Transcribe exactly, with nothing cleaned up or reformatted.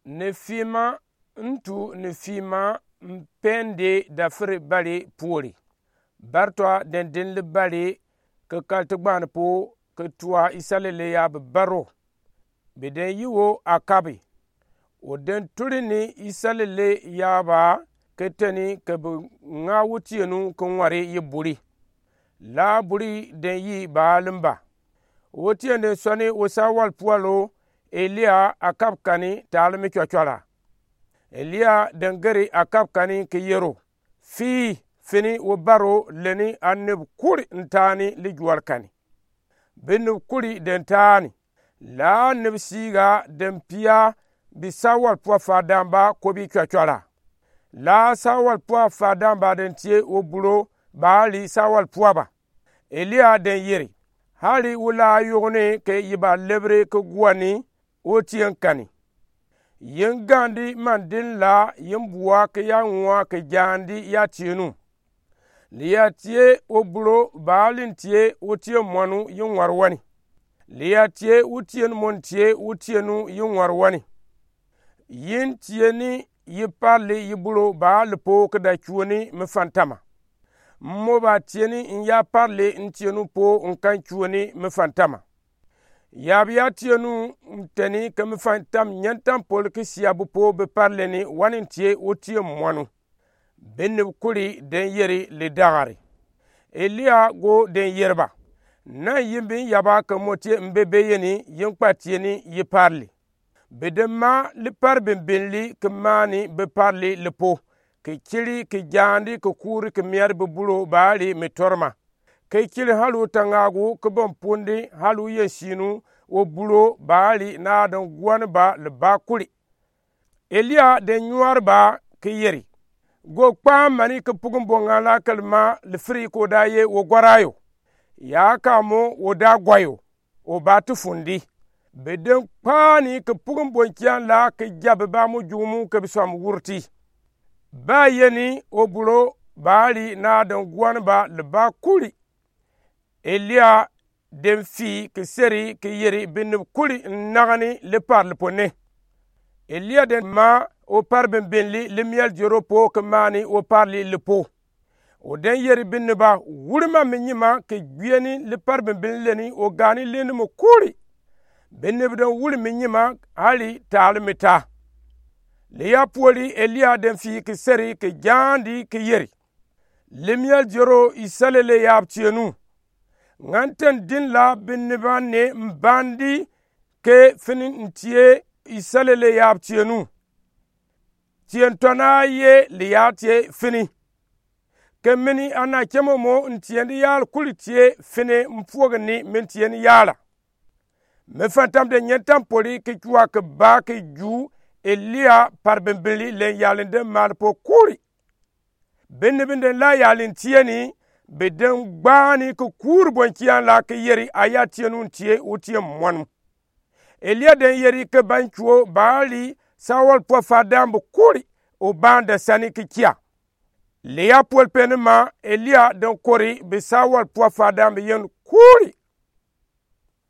Ni fima ntu ni fima mpende dafiri bale puole. Bartwa den din li bale ke kal ti gbani po ke twa Isalele ya bi baro. Bi den yi wo Akabi. O den tuli ni Isalele ya ba ke teni ke bi nga wo tienu ke nwari yi buri. La buri den yi ba limba. Wo tien den sɔni wo sa wal pualo Elia Akab kani taali mi cwacwala. Elia den geri Akab kani ke yero. Fii fini wo baro leni aneb kuri ntaani li jual kani. Bineb kuri den taani. La aneb siiga den pia bi sa wal pua fadamba ko bi cwacwala. La sa wal pua fadamba den tie wo bulo baali sa wal pua ba. Elia den yeri. Hali wula yogni ke yi ba lebre ke guani wo tien kani. Yin gandi man din la yin bua ke ya nwa ke jandi ya tienu. Li ya tie wo bulo baali ntie wo tien mwanu yin nwar wani. Li ya tie wo tien mo ntie wo tienu yin nwar wani. Yin tieni yi parli yi bulo baali po ke da cuoni mi fantama. Mo ba tieni n ya parli n tienu po n kan cuoni mi fantama. Yab ya tienu n teni ke mi fantam nyentam poli ke sia bi po bi parli ni wani ntie wo tien mwanu. Bineb kuri den yeri li dagari. Elia go den yeri ba. Nan yin bin yaba ke mo tie mbebe yeni yin kpa tieni yi parli. Bi den ma li pari binbinli ke maani bi parli li po. Ke kiri ke jandi ke kuri ke miari bi bulo baali mi torma. Ke kiri halu tangagu ke bon pundi halu yen siinu wo bulo baali na den guani ba li ba kuri. Elia den nyuari ba ke yeri. Go kpaa mani ke pugum bo nga la ke li ma li firi ko da ye wo gwara yo. Ya ka mo wo da gwa yo. O ba ti fundi. Bi den kpaani ke pugum bo nkian la ke jabi ba mo jugumu ke bi swam wurti. Ba yeni wo bulo baali na den guani ba li ba kuri. Elia den fii ke seri ke yeri bineb kuri n nagani li parli po ne. Elia den ma wo pari binbinli li miel diero po ke maani wo parli li po. O den yeri bineb ba wuri ma mi nyima ke gbieni li pari binbinli leni wo gaani lindi mo kuri. Bineb den wuri mi nyima hali taali mi ta. Li ya puoli Elia den fii ke seri ke jandi ke yeri. Li miel diero Isalele yab tienu. Nga n ten din la bineb ane mbandi ke fini ntie Isalele yab tienu. Tien tɔna ye li ya tie fini. Ke mini ana kemo mo n tien di yal kuli tie fini mfuoge ni min tien yala. Mi fantam de nyentam poli ke cua ke ba ke ju Elia pari binbinli len yalin de mal po kuri. Bineb den la yalin tieni bi den gbaani ke kuri bo nkian la ke yeri aya tienu ntie wo tien mwanu. Elia den yeri ke ba ncuo baali sa wal pua fadambi kuri o banda sani ke kia. Li ya puoli peni ma Elia den kori bi sa wal pua fadambi yen kuri